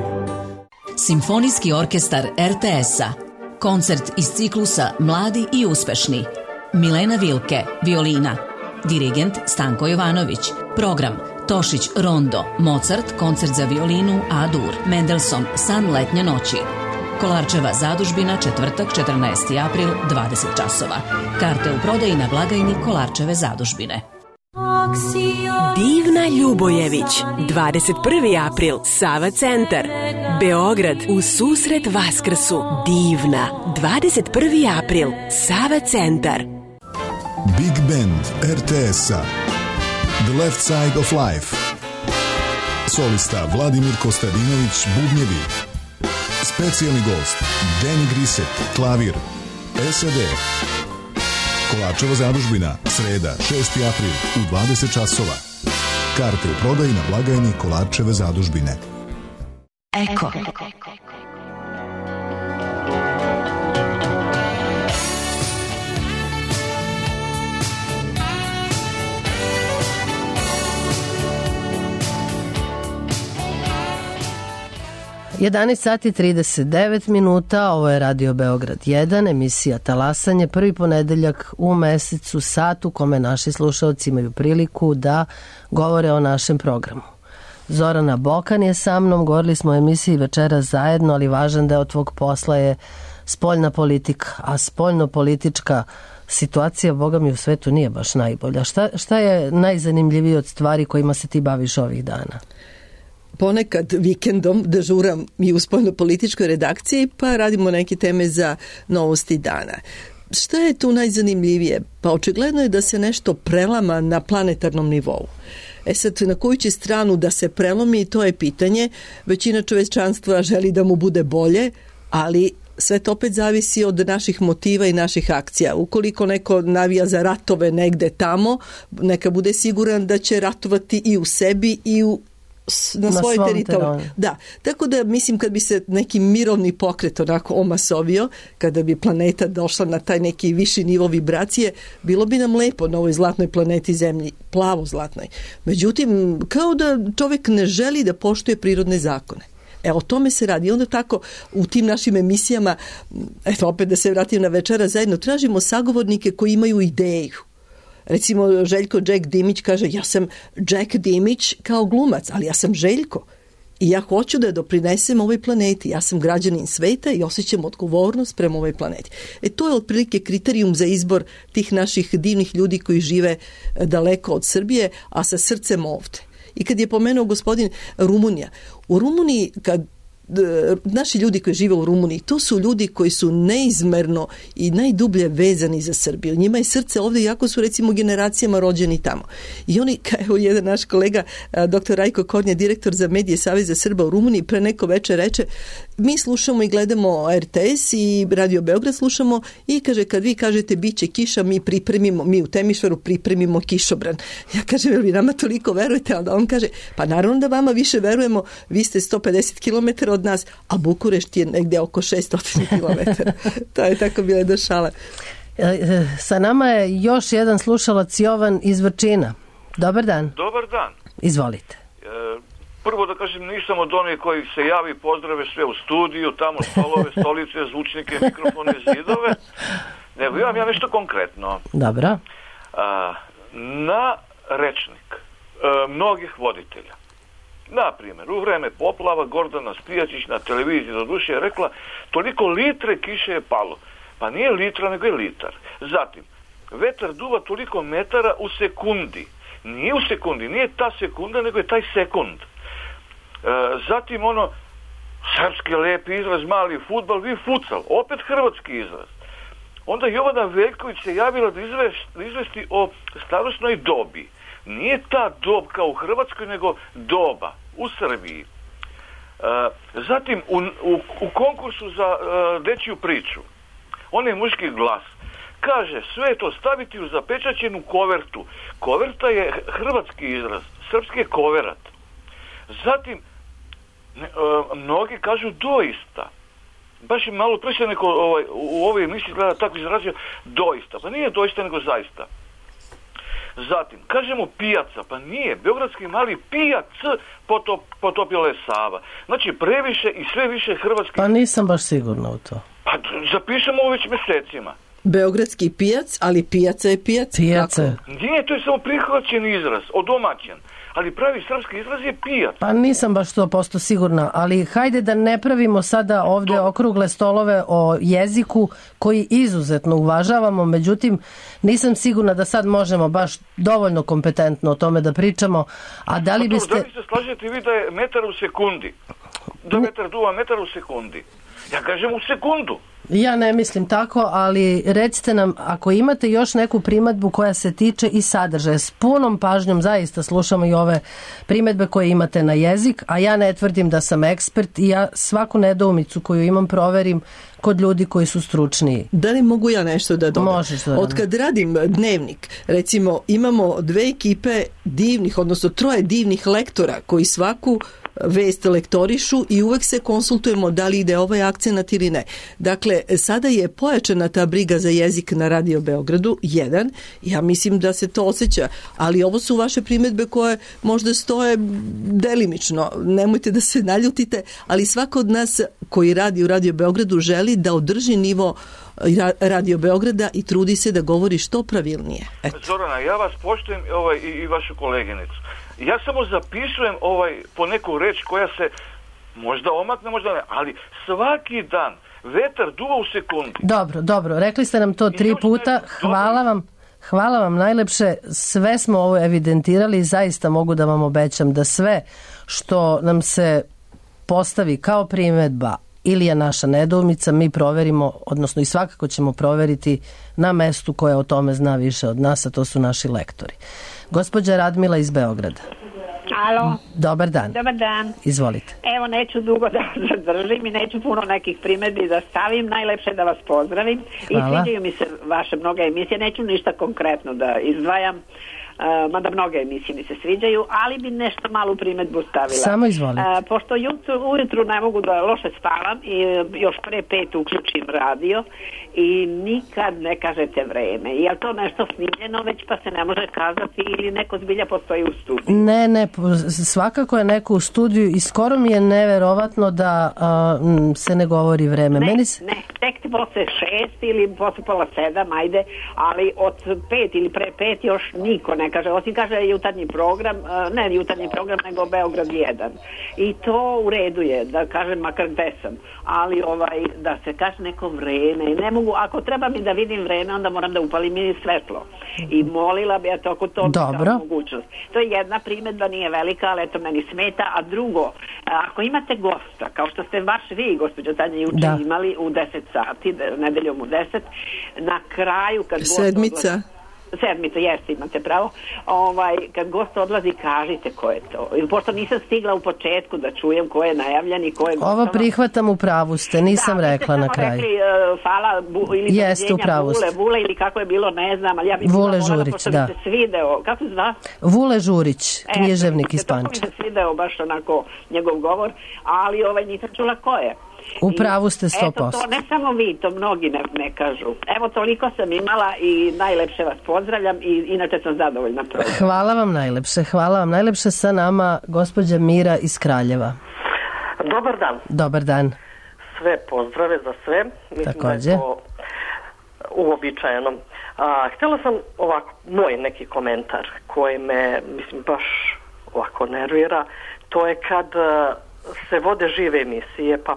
Simfonijski orkestar er te es-a. Koncert iz ciklusa Mladi i uspešni. Milena Vilke, violina. Dirigent Stanko Jovanović. Program Tošić Rondo, Mozart, koncert za violinu A-dur, Mendelssohn, San letnje noći. Kolarčeva zadužbina, četvrtak, četrnaesti april, dvadeset časova. Karte u prodaji na blagajni Kolarčeve zadužbine. Divna Ljubojević, dvadeset prvi april, Sava centar, Beograd, u susret Vaskrsu. Divna, dvadeset prvi april, Sava centar. Big Band er te es-a, The Left Side of Life. Solista Vladimir Kostadinović, bubnjevi. Specijalni gost Danny Grisset, klavir. S A D. Kolarčeva zadužbina, sreda, šesti april u dvadeset časova. Karte u prodaji na blagajni Kolarčeve zadužbine. Eko. jedanaest sati trideset devet minuta, ovo je Radio Beograd jedan, emisija Talasanje, prvi ponedeljak u mesecu, sat u kome naši slušalci imaju priliku da govore o našem programu. Zorana Bokan je sa mnom, govorili smo o emisiji Večera zajedno, ali važan deo tvog posla je spoljna politika, a spoljno-politička situacija, boga mi, u svetu nije baš najbolja. Šta, šta je najzanimljivije od stvari kojima se ti baviš ovih dana? Ponekad vikendom dežuram i u spoljno-političkoj redakciji, pa radimo neke teme za novosti dana. Šta je tu najzanimljivije? Pa očigledno je da se nešto prelama na planetarnom nivou. E sad, na koju će stranu da se prelomi, to je pitanje. Većina čovečanstva želi da mu bude bolje, ali sve to opet zavisi od naših motiva i naših akcija. Ukoliko neko navija za ratove negde tamo, neka bude siguran da će ratovati i u sebi i u na, na svoj teritorij. Da, tako da mislim kad bi se neki mirovni pokret onako omasovio, kada bi planeta došla na taj neki viši nivo vibracije, bilo bi nam lepo na ovoj zlatnoj planeti Zemlji, plavo zlatnoj. Međutim, kao da čovjek ne želi da poštuje prirodne zakone. E, o tome se radi. I onda tako u tim našim emisijama, eto opet da se vratim na Večera zajedno, tražimo sagovornike koji imaju ideju. Recimo, Željko Jack Dimić kaže, ja sam Jack Dimić kao glumac, ali ja sam Željko. I ja hoću da doprinesem ovoj planeti. Ja sam građanin sveta i osjećam odgovornost prema ovoj planeti. E, to je otprilike kriterijum za izbor tih naših divnih ljudi koji žive daleko od Srbije, a sa srcem ovde. I kad je pomenuo gospodin Rumunija, u Rumuniji, kad naši ljudi koji žive u Rumuniji, to su ljudi koji su neizmerno i najdublje vezani za Srbiju. Njima je srce ovdje, jako su recimo generacijama rođeni tamo. I oni, kao jedan naš kolega, doktor Rajko Kornja, direktor za medije Saveza Srba u Rumuniji, pre neko večer reče, mi slušamo i gledamo R T S i Radio Beograd slušamo i kaže, kad vi kažete bit će kiša, mi pripremimo, mi u Temišvaru pripremimo kišobran. Ja kažem, jel vi nama toliko verujete? Onda on kaže, pa naravno da vama više verujemo, vi ste sto pedeset kilometara od nas, a Bukurešt je negdje oko šesto kilometara. To je tako bile do šale. Sa nama je još jedan slušalac, Jovan iz Vrčina. Dobar dan. Dobar dan. Izvolite. E, prvo da kažem, nisam od onih koji se javi, pozdrave sve u studiju, tamo stolove, stolice, zvučnike, mikrofone, zidove. Nego imam ja nešto konkretno. Dobro. A, na rečnik a, mnogih voditelja. Na primjer, u vreme poplava Gordana Spijačić na televiziji do duše je rekla toliko litre kiše je palo. Pa nije litra, nego je litar. Zatim, vetar duva toliko metara u sekundi. Nije u sekundi, nije ta sekunda, nego je taj sekund. E, zatim ono, srpski lepi izraz, mali fudbal, vi futsal, opet hrvatski izraz. Onda Jovana Veljković se javila da izvesti, izvesti o starosnoj dobi. Nije ta dob kao u Hrvatskoj, nego doba u Srbiji. E, zatim, u, u, u konkursu za e, dečju priču, onaj muški glas, kaže, sve to staviti u zapečaćenu kovertu. Koverta je hrvatski izraz, srpski je koverat. Zatim, ne, e, mnogi kažu doista. Baš je malo pre se neko ovaj, u ovoj emisiji gleda tako izrazio doista. Pa nije doista, nego zaista. Zatim, kažemo pijaca, pa nije, beogradski mali pijac potop, potopila je Sava. Znači, previše i sve više hrvatski... Pa nisam baš sigurna u to. Pa zapišemo već mjesecima. Beogradski pijac, ali pijaca je pijac. Pijaca. Nije, to je samo prihvaćen izraz, odomaćen. Ali pravi srpski izraz je pijac. Pa nisam baš sto posto sigurna, ali hajde da ne pravimo sada ovdje to... okrugle stolove o jeziku koji izuzetno uvažavamo, međutim nisam sigurna da sad možemo baš dovoljno kompetentno o tome da pričamo, a da li pa to, biste... Da li se slažete vi da je metar u sekundi? Da metar duva metar u sekundi? Ja kažem u sekundu. Ja ne mislim tako, ali recite nam, ako imate još neku primedbu koja se tiče i sadržaja, s punom pažnjom zaista slušamo i ove primedbe koje imate na jezik, a ja ne tvrdim da sam ekspert i ja svaku nedoumicu koju imam proverim kod ljudi koji su stručniji. Da li mogu ja nešto da dodam? Možeš, Zorana. Od kad radim dnevnik, recimo imamo dve ekipe divnih, odnosno troje divnih lektora koji svaku vest lektorišu i uvek se konsultujemo da li ide ovaj akcenat ili ne. Dakle, sada je pojačana ta briga za jezik na Radio Beogradu, jedan, ja mislim da se to osjeća, ali ovo su vaše primjedbe koje možda stoje delimično, nemojte da se naljutite, ali svako od nas koji radi u Radio Beogradu želi da održi nivo Radio Beograda i trudi se da govori što pravilnije. Eto. Zorana, ja vas poštujem ovaj, i, i vašu koleginicu. Ja samo zapisujem ovaj, po neku reč koja se možda omakne, možda ne, ali svaki dan vetar duva u sekundi. Dobro, dobro, rekli ste nam to tri puta, hvala vam. Hvala vam najlepše, sve smo ovo evidentirali i zaista mogu da vam obećam da sve što nam se postavi kao primedba ili je naša nedoumica, mi proverimo, odnosno i svakako ćemo proveriti na mestu koje o tome zna više od nas, a to su naši lektori. Gospođa Radmila iz Beograda. Alo. Dobar dan. Dobar dan. Izvolite. Evo, neću dugo da zadržim i neću puno nekih primedbi da stavim. Najlepše da vas pozdravim. Hvala. I sviđaju mi se vaše mnoge emisije. Neću ništa konkretno da izdvajam. Uh, mada mnoge emisije mi se sviđaju, ali bi nešto malu primedbu stavila. Samo izvolite. Uh, pošto jutru, ujutru ne mogu da loše spavam i još pre pet uključim radio i nikad ne kažete vreme. Je li to nešto snimljeno već pa se ne može kazati ili neko zbilja postoji u studiju? Ne, ne, svakako je neko u studiju i skoro mi je neverovatno da uh, se ne govori vreme. Ne, Meni se... ne, tek ti posle šest ili posle pola sedam, ajde, ali od pet ili pre pet još niko ne kaže, osim kaže jutarnji program, ne jutarnji program, nego Beograd jedan. I to u redu je, da kažem makar gde sam, ali ovaj, da se kaže neko vreme, ne mogu, ako treba mi da vidim vreme, onda moram da upalim i svetlo. I molila bi, eto, ako to mi da mogućnost. To je jedna primedba, nije velika, ali eto, meni smeta. A drugo, ako imate gosta, kao što ste baš vi, gospođo Tanja, juče da. imali u deset sati, nedeljom u deset, na kraju, kad sedmica, gost sedmica, jeste, imate pravo. Ovaj, kad gost odlazi, kažite ko je to. Ili pošto nisam stigla u početku da čujem ko je najavljen i ko je gostava. Ovo prihvatam, u pravu ste, nisam da, rekla na kraju. Da, vi ste rekli uh, fala bu, ili jeste, u pravu ste. Vule, Vule ili kako je bilo, ne znam, ali ja bih Vule Žurić, da. Mi se svideo. Kako se zva? Vule Žurić, književnik iz Pančeva. To mi se svideo baš onako njegov govor, ali ovaj nisam čula ko je. U pravu ste sto posto. Eto, to ne samo vi, to mnogi ne, ne kažu. Evo, toliko sam imala i najlepše vas pozdravljam i inače sam zadovoljna. Hvala vam najlepše, hvala vam najlepše. Sa nama gospođa Mira iz Kraljeva. Dobar dan. Dobar dan. Sve pozdrave za sve. Mislim takođe. Da je to uobičajeno. A, htjela sam ovako, moj neki komentar koji me, mislim, baš ovako nervira. To je kad se vode žive emisije, pa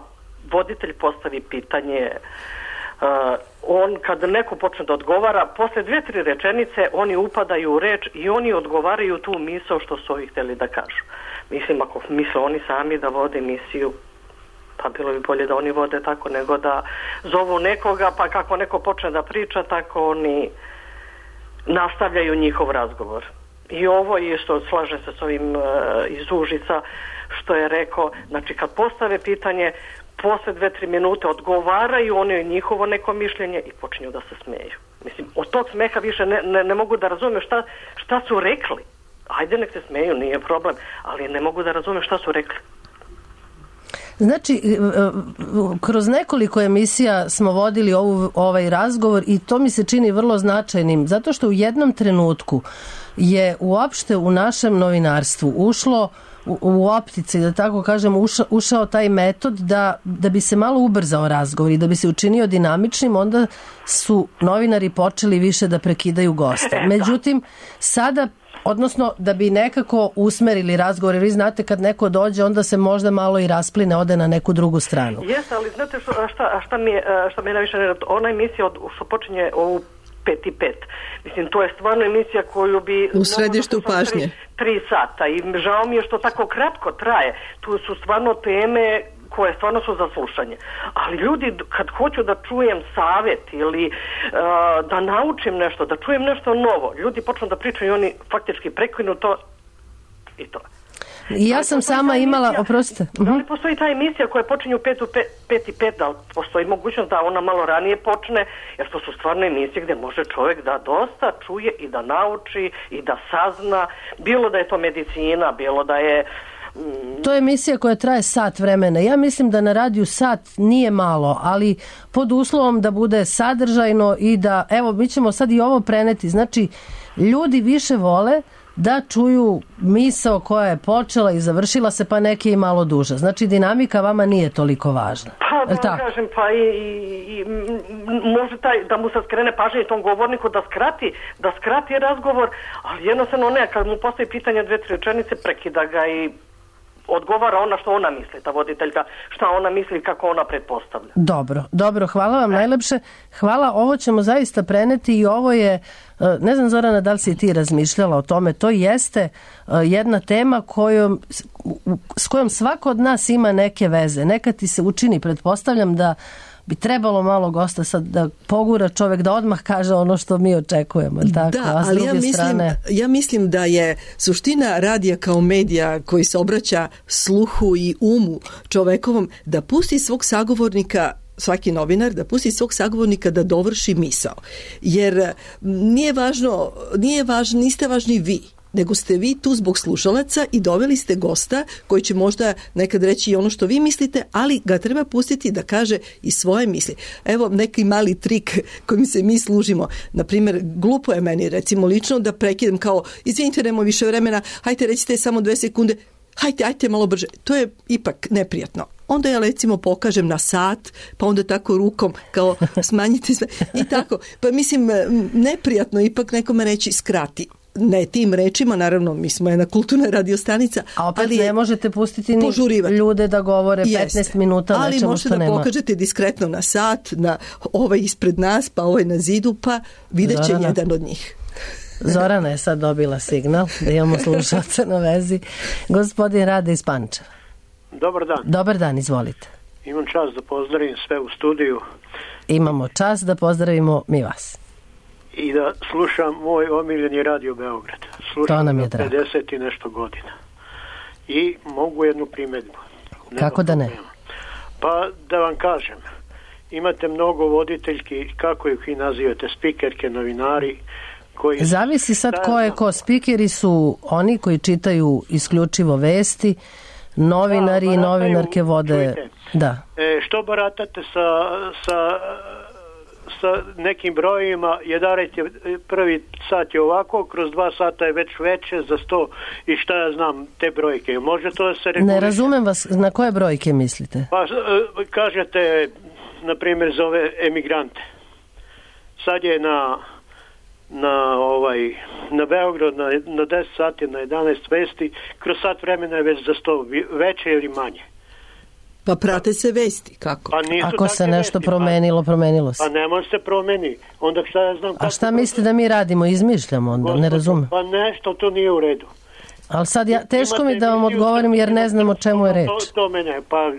voditelj postavi pitanje, uh, on kad neko počne da odgovara, posle dvije, tri rečenice oni upadaju u reč i oni odgovaraju tu misao što su ovi htjeli da kažu. Mislim, ako misle oni sami da vode emisiju, pa bilo bi bolje da oni vode tako nego da zovu nekoga, pa kako neko počne da priča, tako oni nastavljaju njihov razgovor. I ovo je što slažem se s ovim uh, iz Užica što je rekao, znači kad postave pitanje, posle dve, tri minute odgovaraju oni njihovo neko mišljenje i počinju da se smeju. Mislim, od tog smeha više ne, ne, ne mogu da razumem šta, šta su rekli. Ajde nek se smeju, nije problem, ali ne mogu da razumem šta su rekli. Znači, kroz nekoliko emisija smo vodili ovu, ovaj razgovor i to mi se čini vrlo značajnim, zato što u jednom trenutku je uopšte u našem novinarstvu ušlo u, u optici, da tako kažem, uša, ušao taj metod da, da bi se malo ubrzao razgovor i da bi se učinio dinamičnim, onda su novinari počeli više da prekidaju gosta. Međutim, sada, odnosno da bi nekako usmerili razgovor, jer vi znate kad neko dođe, onda se možda malo i raspline, ode na neku drugu stranu. Jes, ali znate što, šta, šta mi je, šta mi je najviše nerad, ona emisija od, što počinje u pet i pet. Mislim, to je stvarno emisija koju bi... U središtu pažnje. Tri, tri sata i žao mi je što tako kratko traje. Tu su stvarno teme koje stvarno su za slušanje. Ali ljudi, kad hoću da čujem savjet ili uh, da naučim nešto, da čujem nešto novo, ljudi počnu da pričaju i oni faktički prekinu to i to. I ja sam sama imala, oprostite. Da li postoji ta emisija koja počinje u pet, u pet, pet i pet, da li postoji mogućnost da ona malo ranije počne, jer to su stvarno emisije gde može čovjek da dosta čuje i da nauči i da sazna, bilo da je to medicina, bilo da je... Mm... To je emisija koja traje sat vremena. Ja mislim da na radiju sat nije malo, ali pod uslovom da bude sadržajno i da, evo, mi ćemo sad i ovo preneti, znači, ljudi više vole da čuju misao koja je počela i završila se, pa neke i malo duže. Znači, dinamika vama nije toliko važna. Pa, da kažem, pa i, i, i može taj, da mu se skrene pažnje i tom govorniku da skrati, da skrati razgovor, ali jednostavno ne, kad mu postoji pitanje dve, tri rečenice, prekida ga i odgovara ona što ona misli, ta voditeljka, šta ona misli i kako ona pretpostavlja. Dobro, dobro, hvala vam najlepše. Hvala, ovo ćemo zaista preneti i ovo je, ne znam Zorana da li si ti razmišljala o tome, to jeste jedna tema kojom, s kojom svako od nas ima neke veze. Nekad ti se učini, pretpostavljam da bi trebalo malo gosta sad da pogura čovjek da odmah kaže ono što mi očekujemo. Tako? Da, a ali ja mislim, strane... ja mislim da je suština radija kao medija koji se obraća sluhu i umu čovekovom da pusti svog sagovornika, svaki novinar, da pusti svog sagovornika da dovrši misao. Jer nije važno, nije važno, niste važni vi, nego ste vi tu zbog slušalaca i doveli ste gosta koji će možda nekad reći i ono što vi mislite, ali ga treba pustiti da kaže i svoje misli. Evo neki mali trik kojim se mi služimo. Naprimjer, glupo je meni recimo lično da prekidam kao, izvinite, nemamo više vremena, hajte recite samo dve sekunde, hajte, hajte malo brže. To je ipak neprijatno. Onda ja recimo pokažem na sat, pa onda tako rukom kao smanjite sve i tako. Pa mislim, neprijatno ipak nekome reći skrati. Ne tim rečima, naravno, mi smo jedna kulturna radiostanica. A opet ali ne možete pustiti ni požurivati ljude da govore petnaest Jeste. Minuta ali nečemu što nema. Ali možete da pokažete diskretno na sat, na ovaj ispred nas, pa ovaj na zidu, pa vidjet će Zorana. Jedan od njih. Zorana je sad dobila signal da imamo slušalce na vezi. Gospodin Rade iz Pančeva. Dobar dan. Dobar dan, izvolite. Imam čast da pozdravim sve u studiju. Imamo čast da pozdravimo mi vas. I da slušam moj omiljeni Radio Beograd. Slušam to nam je drago. pedeset i nešto godina. I mogu jednu primjedbu. Kako da ne? Pa da vam kažem, imate mnogo voditeljki, kako ih vi nazivate, spikerke, novinari, koji... Zavisi sad ko je ko. Spikeri su oni koji čitaju isključivo vesti, novinari da, i novinarke vode... Čujte, da. E, što baratate sa... sa sa nekim brojima, jedan je prvi sat je ovako, kroz dva sata je već veće za sto i šta ja znam te brojke. Može to da se reguliše? Ne razumem vas, na koje brojke mislite? Pa kažete, na primjer, za ove emigrante. Sad je na na ovaj na Beograd na, na deset sati, na jedanaest vesti, kroz sat vremena je već za sto veće ili manje. Pa prate se vesti, kako? Pa ako se nešto vesti, promenilo, promenilo se. Pa ne može se promeni. Onda šta ja znam... A šta mislite da mi radimo? Izmišljamo onda, Gospod, ne razumem. Pa nešto, to nije u redu. Ali sad ja, teško mi da vam odgovorim jer ne znam o čemu je reč. To, to mene, pa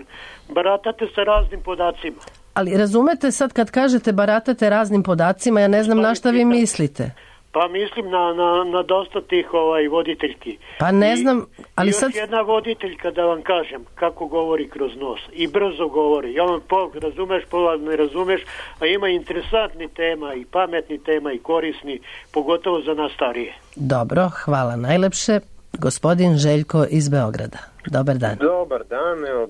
baratate sa raznim podacima. Ali razumete sad kad kažete baratate raznim podacima, ja ne znam pa na šta vi mislite. Pa mislim na, na, na dosta tih ovaj, voditeljki. Pa ne znam, ali I još sad... jedna voditeljka da vam kažem kako govori kroz nos. I brzo govori. Ja vam pol razumeš, pola ne razumeš, a ima interesantni tema i pametni tema i korisni, pogotovo za nas starije. Dobro, hvala najlepše. Gospodin Željko iz Beograda. Dobar dan. Dobar dan, evo,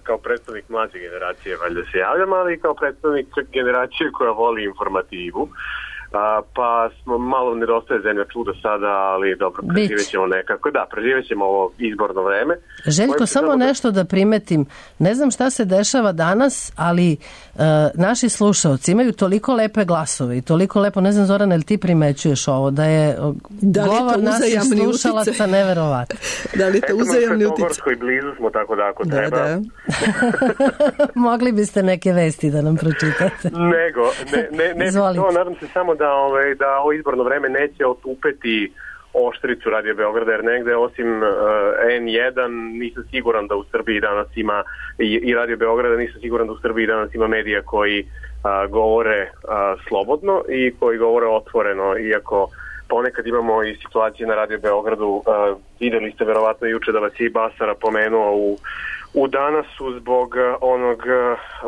kao predstavnik mlađe generacije valjda se javljam, ali i kao predstavnik generacije koja voli informativu. A, pa smo malo nedostaje zemlja čuda sada, ali dobro, preživjet ćemo nekako. Da, preživjet ćemo ovo izborno vreme. Željko, samo da... nešto da primetim. Ne znam šta se dešava danas, ali uh, naši slušalci imaju toliko lepe glasove i toliko lepo, ne znam Zorana, ili ti primećuješ ovo, da je da govor naših slušalaca neverovatan. Da li to uzajamni utice? Eto, i blizu smo, tako da ako da, treba. Da. Mogli biste neke vesti da nam pročitate. Nego, ne, ne, ne to, nadam se samo da, ovaj, da ovo izborno vreme neće otupeti oštricu Radio Beograda, jer negde osim uh, N jedan nisam siguran da u Srbiji danas ima i, i Radio Beograda nisam siguran da u Srbiji danas ima medija koji uh, govore uh, slobodno i koji govore otvoreno, iako ponekad imamo i situacije na Radio Beogradu, uh, videli ste verovatno juče da vas je i Basara pomenuo u u Danasu zbog onog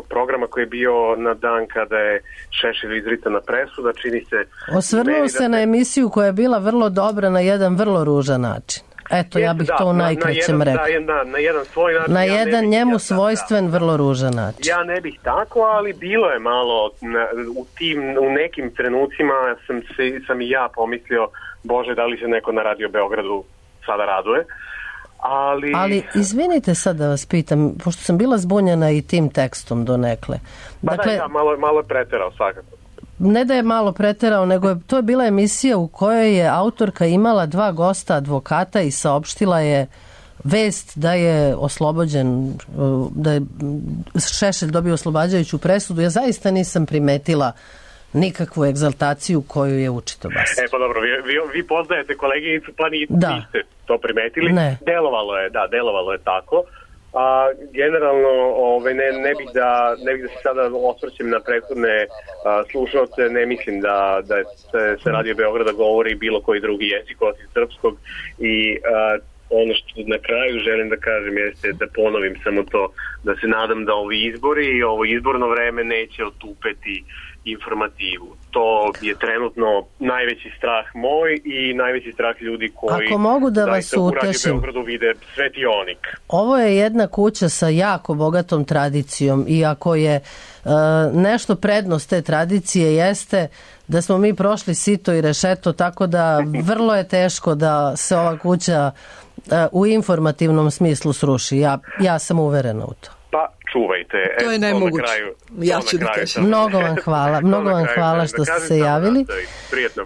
programa koji je bio na dan kada je Šešelju izricana presuda, čini se... Osvrnuo se da... na emisiju koja je bila vrlo dobra na jedan vrlo ružan način. Eto, ja bih da, to u najkraćem rekao. Na, na jedan svoj način. Na ja jedan bih, njemu ja, svojstven, da, vrlo ružan način. Ja ne bih tako, ali bilo je malo, na, u, tim, u nekim trenucima sam, se, sam i ja pomislio, Bože, da li se neko na Radio Beogradu sada raduje. Ali... Ali izvinite sad da vas pitam, pošto sam bila zbunjena i tim tekstom donekle. Pa dakle, da, ja, malo, malo je preterao svakako. Ne da je malo preterao, nego je, to je bila emisija u kojoj je autorka imala dva gosta advokata i saopštila je vest da je oslobođen, da je Šešelj dobio oslobađajuću presudu. Ja zaista nisam primetila nikakvu egzaltaciju koju je učito Basić. E pa dobro, vi, vi, vi poznajete koleginicu, pa niste da. to primetili. Ne. Delovalo je, da, delovalo je tako. A generalno ove, ne, ne, bih da, ne bih da se sada osvrćem na prethodne a, slušalce, ne mislim da, da se, se Radio Beograda govori bilo koji drugi jezik osim srpskog i a, ono što na kraju želim da kažem jeste da ponovim samo to, da se nadam da ovi izbori i ovo izborno vreme neće otupeti informativu. To je trenutno najveći strah moj i najveći strah ljudi koji Ako mogu da vas u utešim, Radio Beogradu vide svetionik. Ovo je jedna kuća sa jako bogatom tradicijom i ako je e, nešto prednost te tradicije jeste da smo mi prošli sito i rešeto, tako da vrlo je teško da se ova kuća e, u informativnom smislu sruši. Ja, ja sam uverena u to. Pa čuvajte. To je nemoguće. Ja ću da kažem. Mnogo vam hvala. Mnogo vam hvala što ste se javili.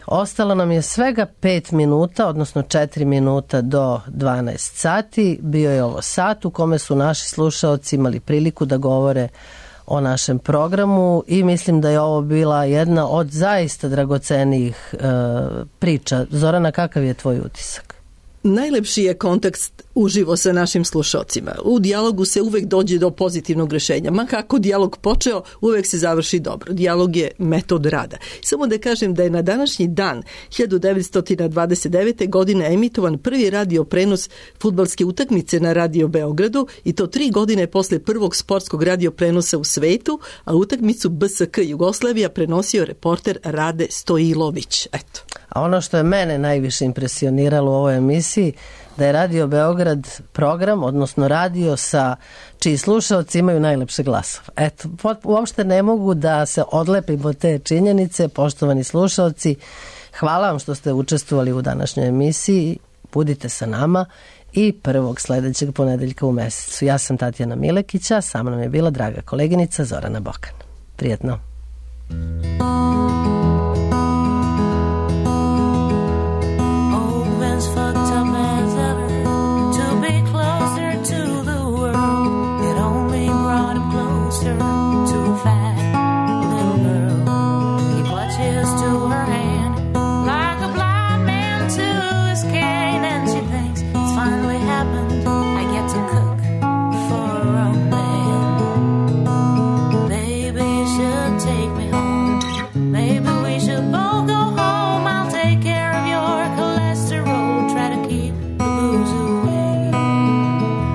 Ostalo nam je svega pet minuta, odnosno četiri minuta do dvanaest sati. Bio je ovo sat u kome su naši slušaoci imali priliku da govore o našem programu i mislim da je ovo bila jedna od zaista dragocenijih e, priča. Zorana, kakav je tvoj utisak? Najlepši je kontakt uživo sa našim slušocima. U dijalogu se uvek dođe do pozitivnog rešenja. Ma kako dijalog počeo, uvek se završi dobro. Dijalog je metod rada. Samo da kažem da je na današnji dan hiljadu devetsto dvadeset devete. godine emitovan prvi radio prenos fudbalske utakmice na Radio Beogradu i to tri godine posle prvog sportskog radio prenosa u svetu, a utakmicu B S K Jugoslavija prenosio reporter Rade Stojilović. Eto. A ono što je mene najviše impresioniralo u ovoj emisiji, da je Radio Beograd program, odnosno radio sa čiji slušalci imaju najlepše glasove. Eto, uopšte ne mogu da se odlepim od te činjenice, poštovani slušalci. Hvala vam što ste učestvovali u današnjoj emisiji. Budite sa nama i prvog sledećeg ponedeljka u mesecu. Ja sam Tatjana Milekića, sa mnom je bila draga koleginica Zorana Bokan. Prijetno. Fucked up as ever to be closer to the world. It only brought him closer to a fat little girl. He clutches to her hand like a blind man to his cane, and she thinks it's finally happened. I get to cook for a man. Maybe you should take me home. Maybe we should both go home. I'll take care of your cholesterol. Try to keep the booze away.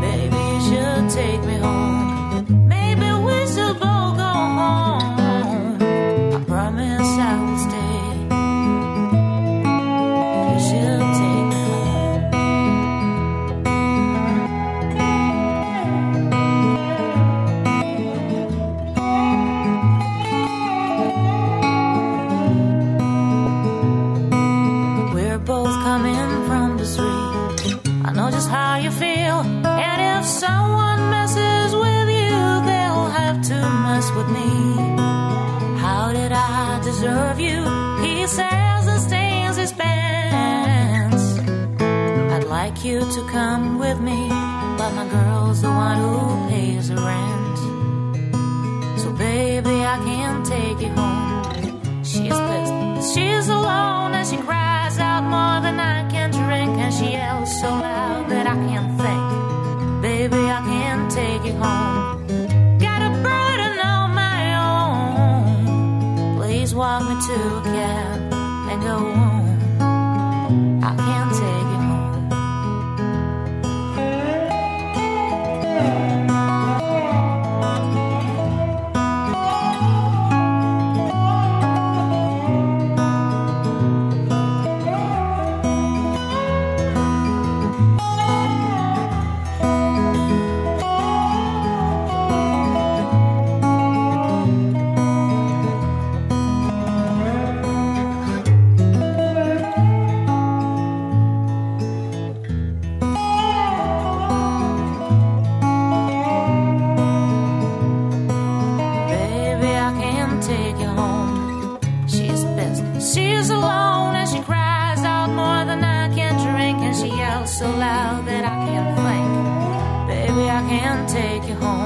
Maybe you should take me home. Maybe we should both go home. I promise I will stay. You should take me home. We're both coming from the street. I know just how you feel. And if someone messes with you, they'll have to mess with me. How did I deserve you? He says and stains his pants. I'd like you to come with me, but my girl's the one who pays the rent. So baby, I can't take you home. She's pissed. She's alone and she cries out more than I can so loud that I can't think. Baby, I can't take you home. Got a burden on my own. Please walk me to a cab and go home. I can't take you home. So loud that I can't think. Baby, I can't take you home.